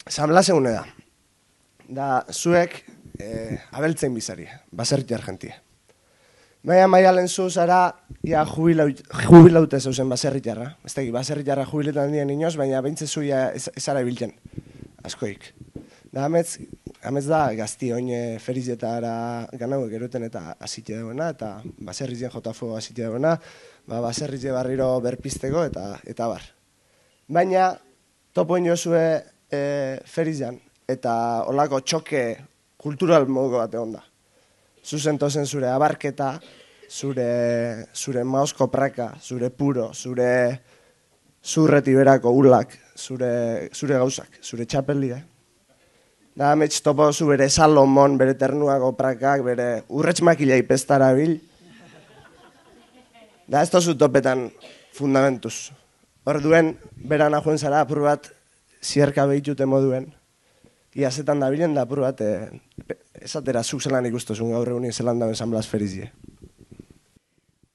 San Blas egune da. Da, zuek abeltzein bizari, baserri argentia. Baina Maialen zu zara, ia jubilaute zeuzen baserritarra. Ez tegi, baserritarra jubiletan dien inoz, baina behintze zuia ezara ibiltzen, askoik. Da, amets da, gazti oin ferizetara ganauek eruten eta asite dagoena, eta baserrizien jotafo asite dagoena, baserrize barriro berpisteko eta bar. Baina, topo ino zue ferizan, eta olako txoke kultural moduko bat egon da. Zuzen tozen zure abarketa, zure maosko praka, zure puro, zurreti berako ulak, zure gauzak, zure txapelia. Da, amets topo zu bere Salomon, bere ternuako prakak, bere urretx makila ipestara bil. Da, ez tozu topetan fundamentuz. Hor duen, beran ajuen zara apur bat zierka behitute moduen. Ia zetan da bilen da apur bat, esatera zuk zelan ikustozun gaur egunin zelan daben San Blas ferizie.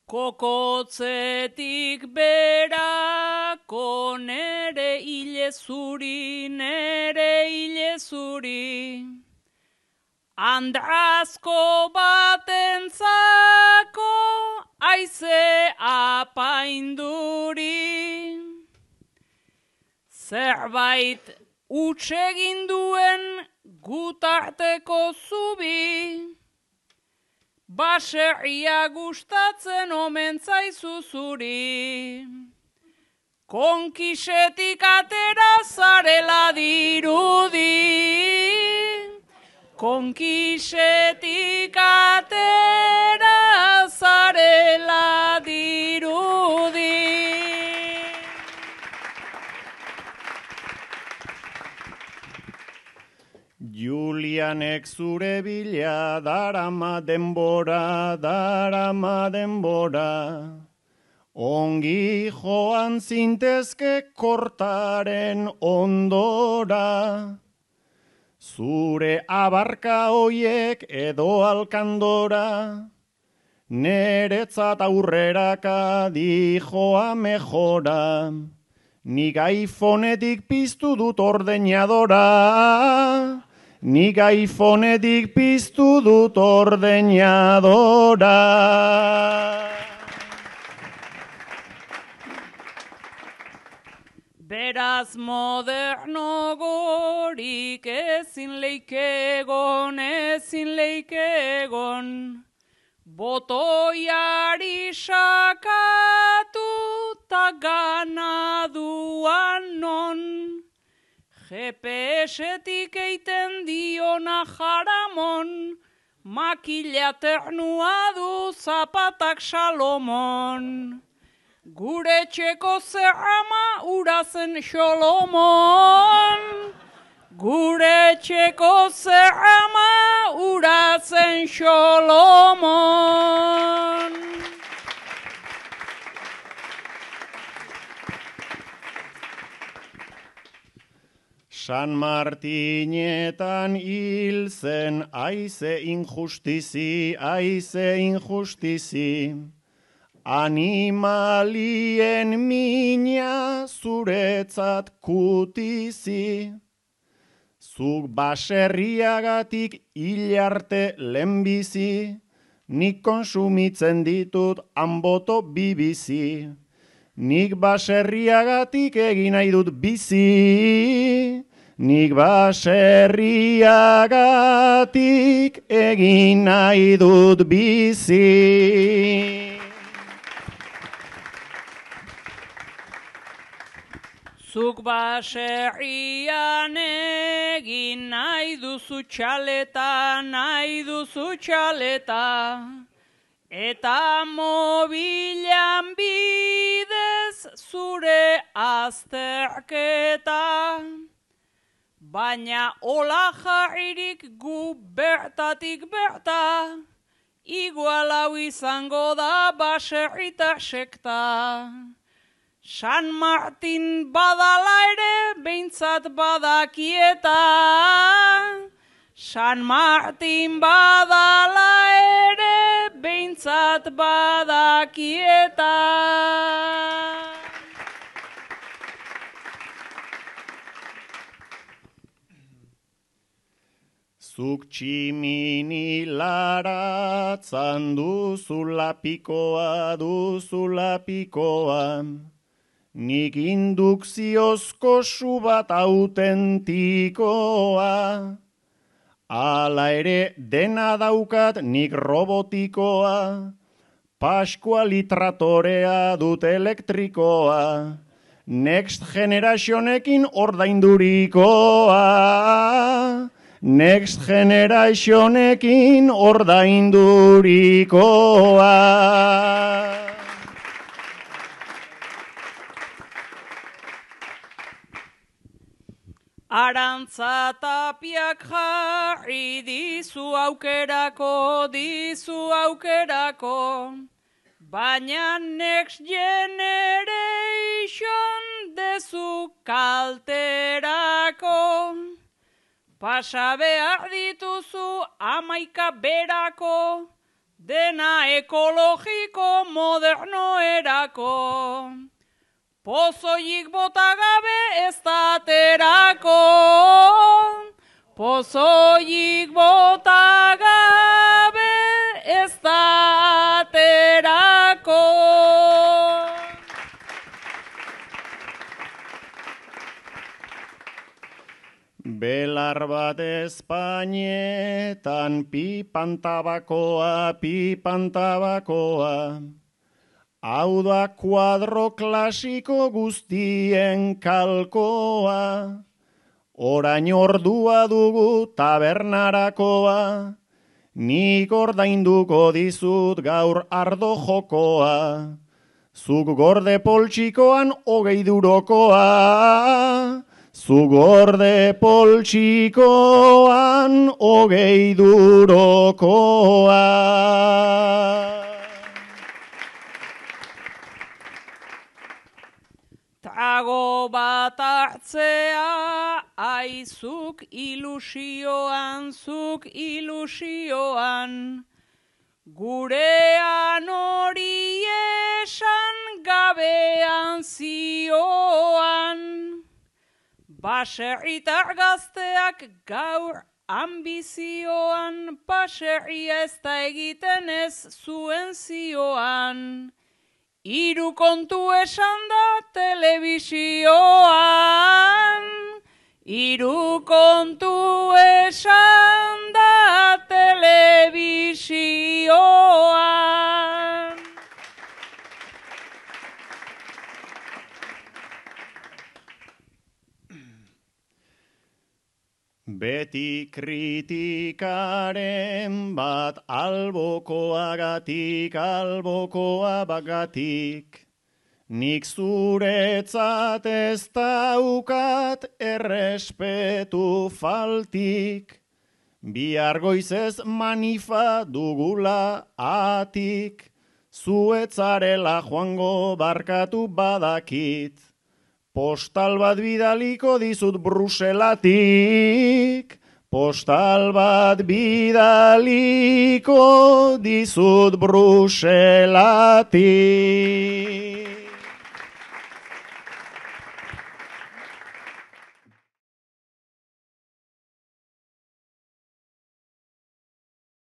Kokotzetik berako nere hile zuri, Andrazko batentzako aize apainduri. Zerbait utsegin duen gutarteko zubi, baserria gustatzen omen zaizu zuri. Konkisetik atera zarela dirudi, konkisetik atera zarela dirudi. Julianek zure bila darama denbora, ongi joan zintezke kortaren ondora. Zure abarka hoiek edo alkandora, neretzat aurreraka dijoa mejora. Nik iPhoneetik piztu dut ordeñadora, nik iPhoneetik piztu dut ordeñadora. Beraz moderno gorik ezin leikegon, botoiari sakatu ta ganaduan non. GPS-etik eiten diona jaramon, makila ternua du zapatak Salomon. Gure txeko zerrama urazen Xolomon, gure txeko zerrama urazen Xolomon. San Martinetan hil zen aize injustizi, Animalien mina zuretzat kutizi. Zuk baserriagatik hil arte lehenbizi, nik konsumitzen ditut hanboto bibizi. Nik baserriagatik egin nahi dut bizi, nik baserriagatik egin nahi dut bizi. Zuk baserrian egin nahi duzu txaleta, eta mobilan bidez zure azterketa. Baina hola jarririk gu bertatik berta, igual hau izango da baserrita sekta. San Martin badala ere behintzat badakieta, San Martin badala ere behintzat badakieta. Zuk tximini laratzan duzula pikoa, nik indukziozko su bat autentikoa. Hala ere dena daukat nik robotikoa, Paskuali tratorea dut elektrikoa, Next Generationekin ordaindurikoa. Next Generationekin ordaindurikoa. Arantza Tapiak jarri dizu aukerako, baina Next Generation dezu kalterako. Pasa behar dituzu 11 berako, dena ekologiko modernoerako. Pozoik bota gabe ez da aterako, pozoik bota gabe ez da aterako. Belar bat Espainetan pipan tabakoa, hau da kuadro klasiko guztien kalkoa, orain ordua dugu tabernarakoa, nik ordainduko dizut gaur ardo jokoa, zuk gorde poltsikoan 20 eurokoa, zuk gorde poltsikoan 20 eurokoa. Trago bat hartzea, aizuk ilusioan, gurean hori esan gabean zioan. Baserritar gazteak gaur ambizioan, baserria ez da egiten ez zuen zioan. 3 kontu esan da telebisioan, 3 kontu esan da telebisioan. Beti kritikaren bat albokoa bagatik, nik zuretzat ez daukat errespetu faltik, bihar goizez manifa dugula atik, zuetzarela joango barkatu badakit. Postal bat bidaliko dizut Bruselatik, postal bat bidaliko dizut Bruselatik.